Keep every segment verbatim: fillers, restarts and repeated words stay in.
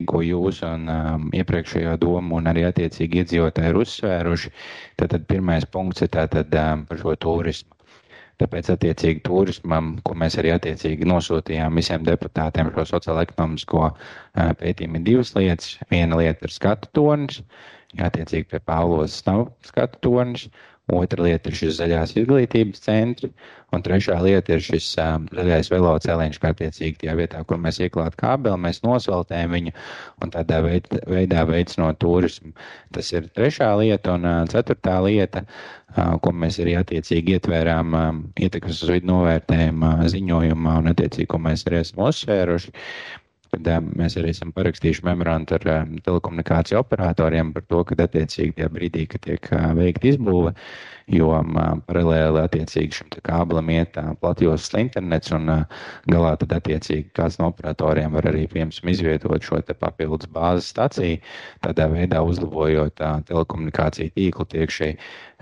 ko jūs un um, iepriekšējo domu un arī attiecīgi iedzīvotāji ir uzsvēruši, tad, tad pirmais punkts ir tātad um, par šo turismu. Tāpēc attiecīgi turismam, ko mēs arī attiecīgi nosūtījām visiem deputātiem šo sociālo-ekonomisko uh, pētījumu, ir divas lietas. Viena lieta ir skatu tornis, attiecīgi pie Pāvlos nav skatu tornis. Otra lieta ir šis zaļās izglītības centri, un trešā lieta ir šis um, zaļais veloceliņš, kā attiecīgi tajā vietā, kur mēs ieklāt kābeli, mēs nosveltējam viņu un tādā veid, veidā veicinot turismu. Tas ir trešā lieta, un uh, ceturtā lieta, uh, ko mēs arī attiecīgi ietvērām um, ietekmes uz vidu novērtējuma uh, ziņojumā un attiecīgi, ko mēs arī esam uzsvēruši. Kad uh, mēs arī esam parakstījuši memorandu ar uh, telekomunikāciju operatoriem par to, ka attiecīgi tajā brīdī, kad tiek uh, veikta izbūve, jo um, paralēli attiecīgi šim kābelim iet uh, platjoslas internets un uh, galā tad attiecīgi kāds no operatoriem var arī, piemēram, izvietot šo te papildus bāzes staciju, tādā veidā uzlabojot uh, telekomunikāciju tīklu tiekšai.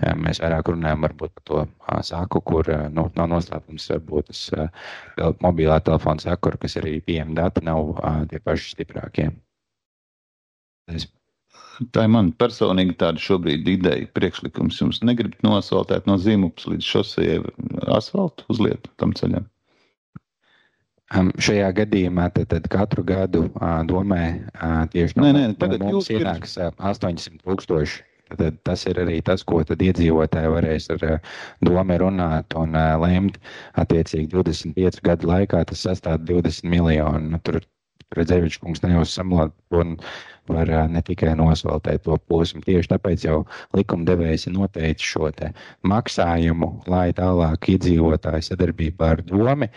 Uh, mēs vairāk runājam varbūt par to uh, saku, kur uh, nu, nav noslēpums, varbūt tas uh, mobilā telefona sakura, kas arī pieejami dati nav uh, tie paši stiprākie. Es... Tā ir man personīgi tāda šobrīd ideja, priekšlikums. Jums negribat nosvaltēt no Zīmupas līdz šosejai asfaltu uzliet tam ceļam? Um, šajā gadījumā tad, tad katru gadu uh, domē uh, tieši no, nē, nē, no mums ienāks uh, astoņsimt tūkstoši. Tad tas ir arī tas, ko tad iedzīvotāji varēs ar uh, domu runāt un uh, lemt. Attiecīgi divdesmit piecu gadu laikā tas sastāv divdesmit miljonu. Nu, tur Redzevičs kungs nejaus samlāt un var uh, ne tikai nosvaltēt to posmu. Tieši tāpēc jau likumdevējs ir noteicis šo te maksājumu, lai tālāk iedzīvotāji sadarbībā ar domi,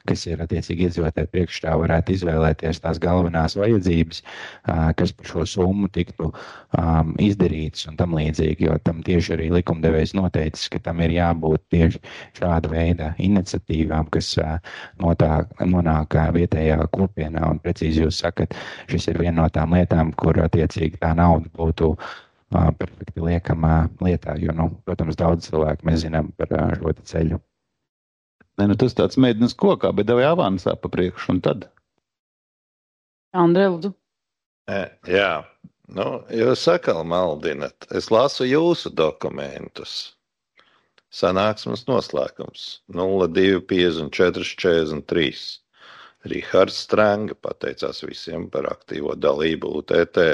kas ir attiecīgi iedzīvotāji priekšstā, varētu izvēlēties tās galvenās vajadzības, uh, kas par šo summu tiktu um, izdarītas un tam līdzīgi, jo tam tieši arī likumdevējs noteicis, ka tam ir jābūt tieši šāda veida iniciatīvām, kas uh, notā, nonāk uh, vietējā kopienā, un precīzi jūs sakat, šis ir viena no tām lietām, kur attiecīgi tā nauda būtu uh, perfekti liekamā lietā, jo, nu, protams, daudz cilvēku mēs zinām par uh, šo ceļu. Ne, nu tas tāds mēdienas kokā, bet devai avansā pa priekšu un tad. Andrē, lūdzu. E, jā, nu, jūs sakal maldinat. Es lasu jūsu dokumentus. Sanāksmes noslēgums nulle divi piecdesmit četri četrdesmit trīs. Rihards Stranga pateicās visiem par aktīvo dalību U T T.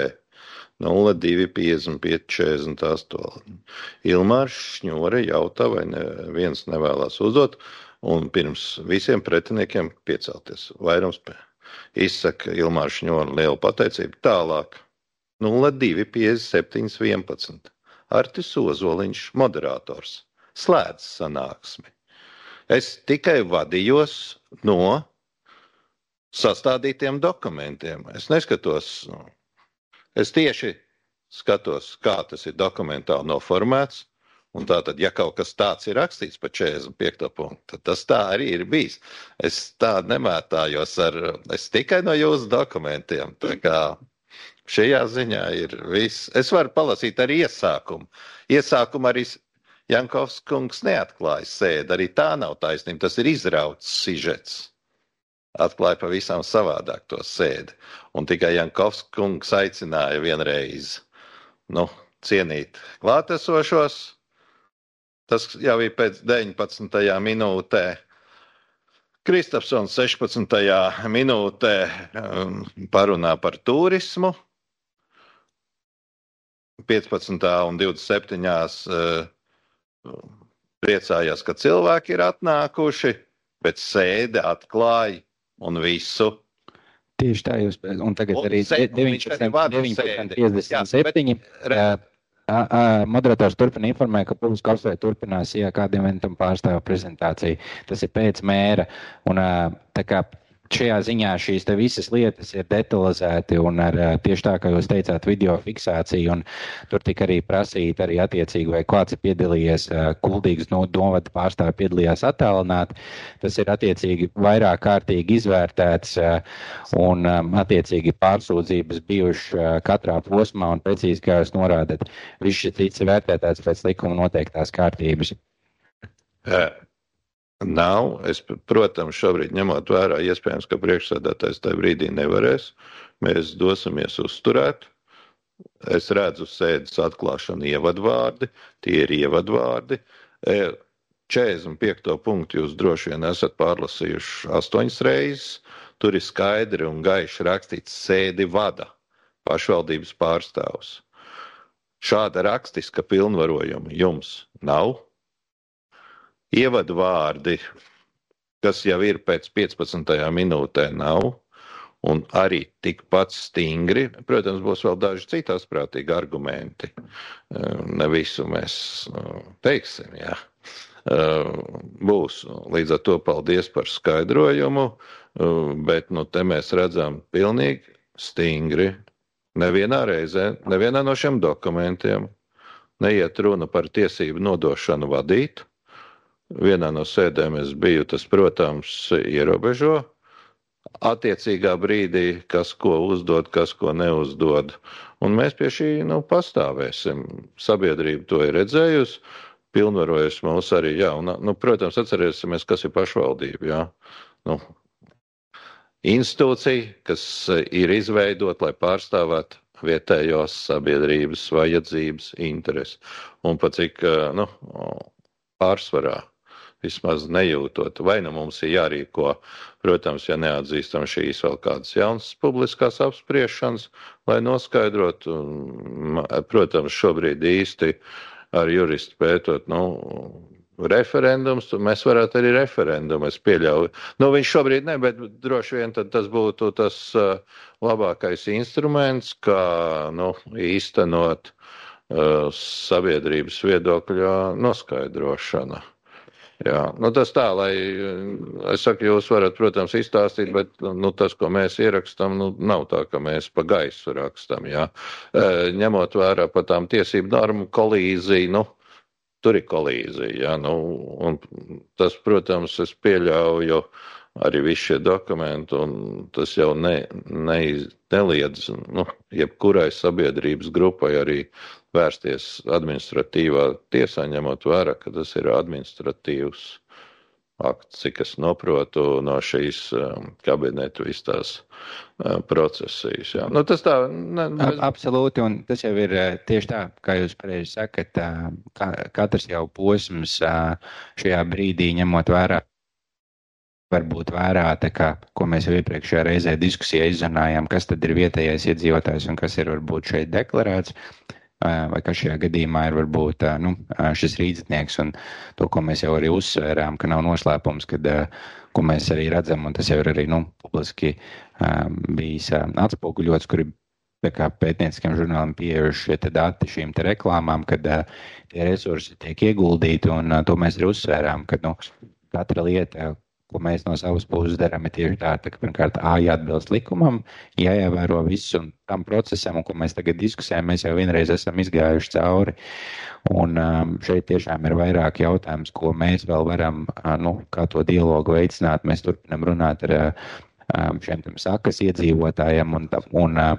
nulle divi piecdesmit pieci četrdesmit astoņi. Ilmārs Šņore jautā, vai neviens nevēlās uzdot, un pirms visiem pretiniekiem piecelties. Vairums izsaka Ilmārs Šņore lielu pateicību. Tālāk. nulle divi piecdesmit septiņi vienpadsmit. Artis Ozoliņš, moderators. Slēdz sanāksmi. Es tikai vadījos no sastādītiem dokumentiem. Es neskatos, nu, es tieši skatos, kā tas ir dokumentāli noformēts, un tātad, ja kaut kas tāds ir rakstīts pa četrdesmit piekto punktu, tad tas tā arī ir bijis. Es tā nemētājos ar, es tikai no jūsu dokumentiem, tā kā šajā ziņā ir viss. Es varu palasīt arī iesākumu. Iesākumu arī Jankovs kungs neatklāja sēdi, arī tā nav taisnība, tas ir izrauts sižets. Atklāja pavisam savādāk to sēdi. Un tikai Jankovs kungs aicināja vienreiz, nu, cienīt klātesošos. Tas jau ir pēc deviņpadsmitajā minūtē. Kristapsons sešpadsmitajā minūtē um, parunā par turismu. piecpadsmitā un divdesmit septiņās uh, priecājās, ka cilvēki ir atnākuši, bet sēde atklāja un visu. Tieši tā jūs, un tagad un arī deviņpadsmit piecdesmit septiņi. Moderators turpina informēt, ka publiski apsvērt turpinās, ja kādiem eventam pārstāv prezentāciju. Tas ir pēc mēra, un tā kā šajā ziņā šīs te visas lietas ir detalizēti un ar tieši tā, kā jūs teicāt, video fiksāciju, un tur tika arī prasīt arī attiecīgi, vai kāds ir piedalījies, Kuldīgas novada pārstāvi piedalījās attālināt. Tas ir attiecīgi vairāk kārtīgi izvērtēts un attiecīgi pārsūdzības bijuši katrā posmā, un precīzi, kā jūs norādat, viss šis cits ir vērtētāts pēc likuma noteiktās kārtības. Nav. Es, protams, šobrīd ņemot vērā, iespējams, ka priekšsēdētājs tajā brīdī nevarēs. Mēs dosimies uzturēt. Es redzu sēdes atklāšanu ievadvārdi. Tie ir ievadvārdi. četrdesmit piekto punktu jūs droši vien esat pārlasījuši astoņas reizes. Tur ir skaidri un gaiši rakstīts sēdi vada pašvaldības pārstāvs. Šāda rakstiska pilnvarojuma jums nav. Ievadvārdi, kas jau ir pēc piecpadsmitajā minūtē, nav. Un arī tikpat stingri, protams, būs vēl daži citi asprātīgi argumenti. Ne visu mēs teiksim, jā. Būs. Līdz ar to paldies par skaidrojumu, bet nu, te mēs redzam pilnīgi stingri. Nevienā reizē, nevienā no šiem dokumentiem neiet runa par tiesību nodošanu vadīt. Vienā no sēdēm es biju, tas, protams, ierobežo. Attiecīgā brīdī, kas ko uzdod, kas ko neuzdod. Un mēs pie šī nu, pastāvēsim. Sabiedrība to ir redzējusi, pilnvarojas mūs arī, jā. Un, nu, protams, atcerēsimies, kas ir pašvaldība, jā. Nu, institūcija, kas ir izveidot, lai pārstāvētu vietējos sabiedrības vajadzības interesi. Un pat cik, nu, pārsvarā. Vismaz nejūtot, vai nu mums ir jārīko, protams, ja neatzīstam šīs vēl kādas jaunas publiskās apspriešanas, lai noskaidrotu, protams, šobrīd īsti ar juristu pētot, nu, referendums, mēs varētu arī referendumu, es pieļauju. Nu, viņš šobrīd ne, bet droši vien tad tas būtu tas uh, labākais instruments, kā, nu, īstenot uh, sabiedrības viedokļa noskaidrošana. Jā, nu tas tā, lai, es saku, jūs varat, protams, izstāstīt, bet nu, tas, ko mēs ierakstam, nu, nav tā, ka mēs pa gaisu rakstam, jā. E, ņemot vērā par tām tiesību normu kolīziju, nu, tur ir kolīzija, jā, nu, un tas, protams, es pieļauju arī visi šie dokumenti, un tas jau ne, ne, neliedz, nu, jebkurai sabiedrības grupai arī vērsties administratīvā tiesā, ņemot vērā, ka tas ir administratīvs akts, cik es noprotu no šīs um, kabinetu vis tās um, procesijas. Jā. Nu, tas tā, ne, mēs... Absolūti, un tas jau ir tieši tā, kā jūs pareizi sakat, ka, katrs jau posms šajā brīdī ņemot vērā, varbūt vērā, tā kā, ko mēs jau iepriekšējā reizē diskusijā izrunājām, kas tad ir vietējais iedzīvotājs un kas ir varbūt šeit deklarēts, vai kas šajā gadījumā ir varbūt nu, šis rīdznieks un to, ko mēs jau arī uzsvērām, ka nav noslēpums, kad, ko mēs arī redzam, un tas jau ir arī nu, publiski bijis atspoguļots, kur ir tā kā pētnieciskiem žurnāliem pieejuši šie te dati šīm te reklāmām, kad tie resursi tiek ieguldīti, un to mēs arī uzsvērām, ka nu, katra lieta, ko mēs no savas puses darām, ir tieši tā, ka pirmkārt A jāatbilst likumam, jāievēro viss un tam procesam, un ko mēs tagad diskusējam, mēs jau vienreiz esam izgājuši cauri. Un um, šeit tiešām ir vairāk jautājums, ko mēs vēl varam, uh, nu, kā to dialogu veicināt. Mēs turpinam runāt ar um, šiem tam sakas iedzīvotājiem un, un, uh,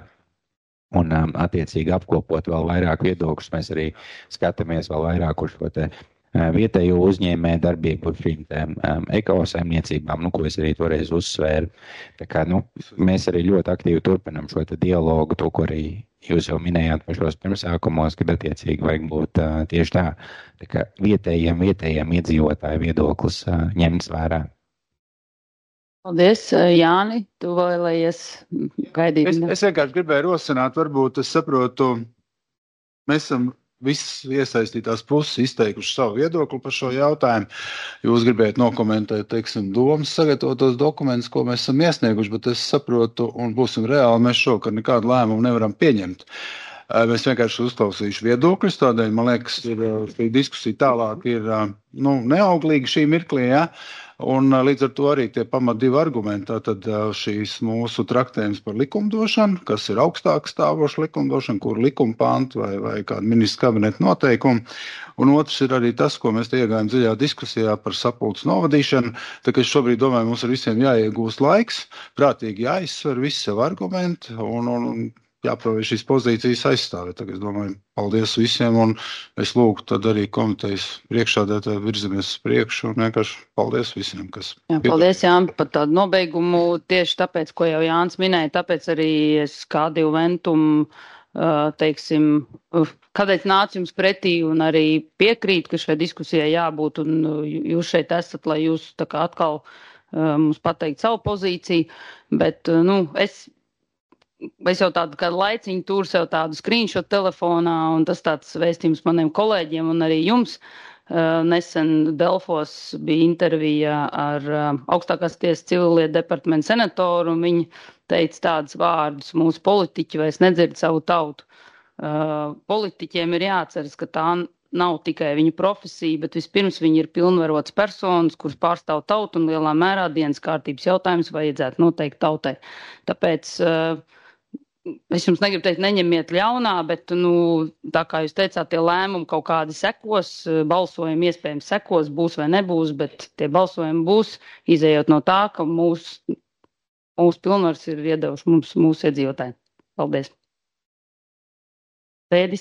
un um, attiecīgi apkopot vēl vairāk viedokļus. Mēs arī skatāmies vēl vairāk uz šo te vietējo uzņēmē darbību par šīm tēm um, ekosaimniecībām, nu, ko es arī toreiz uzsvēru. Tā kā, nu, mēs arī ļoti aktīvi turpinam šo te dialogu, to, ko arī jūs jau minējāt pašos pirmsākumos, kad attiecīgi vajag būt uh, tieši tā, tā kā vietējiem, vietējiem iedzīvotāju viedoklis uh, ņemts vērā. Paldies, Jāni, tu vēlējies gaidīt. Es, es vienkārši gribēju rosināt, varbūt es saprotu, mēs esam visas iesaistītās puses izteikuši savu viedokli par šo jautājumu. Jūs gribējat nokomentēt, teiksim, domas sagatavotos dokumentus, ko mēs esam iesnieguši, bet es saprotu, un būsim reāli, mēs šokar nekādu lēmumu nevaram pieņemt. Mēs vienkārši uzklausījuši viedokļus, tādēļ, man liekas, ir, šī diskusija tālāk ir nu, neauglīga šī mirklī, ja? Un līdz ar to arī tie pamat divi argumenti, tātad šīs mūsu traktējums par likumdošanu, kas ir augstāk stāvoša likumdošana, kur likuma pantu vai, vai kāda ministra kabineta noteikuma, un otrs ir arī tas, ko mēs te iegājām dziļā diskusijā par sapulces novadīšanu, tā ka es šobrīd domāju, mums ar visiem jāiegūst laiks, prātīgi jāizsver visi savu argumenti, un, un, un jāprotams šīs pozīcijas aizstāvēt. Tagad es domāju, paldies visiem, un es lūgtu tad arī komitejas priekšsēdētāju virzamies uz priekšu, un vienkārši paldies visiem, kas. Jā, paldies, Jāni, par tādu nobeigumu. Tieši tāpēc, ko jau Jānis minēja, tāpēc arī es kā divu ventumu, teiksim, kādēļ nācu jums pretī un arī piekrīt, ka šai diskusijai jābūt, un jūs šeit esat, lai jūs tā kā atkal mums pateikt savu pozīciju, bet, nu, es Es jau tādu kādu laiciņu tur sev tādu screenshot telefonā, un tas tāds vēstījums maniem kolēģiem un arī jums. Nesen Delfos bija intervija ar augstākās tiesas civilietu departamentu senatoru, un viņi teica tādus vārdus: mūsu politiķi vairs nedzird savu tautu. Politiķiem ir jāatceras, ka tā nav tikai viņu profesija, bet vispirms viņi ir pilnvarots personas, kuras pārstāv tautu, un lielā mērā dienas kārtības jautājums vajadzētu noteikt tautai. Tāpēc es jums negribu teikt, neņemiet ļaunā, bet, nu, tā kā jūs teicāt, tie lēmumi kaut kādi sekos, balsojumi iespējams sekos, būs vai nebūs, bet tie balsojumi būs, izējot no tā, ka mūsu mūs pilnvars ir iedevuši mums mūsu iedzīvotāji. Paldies. Pēdis.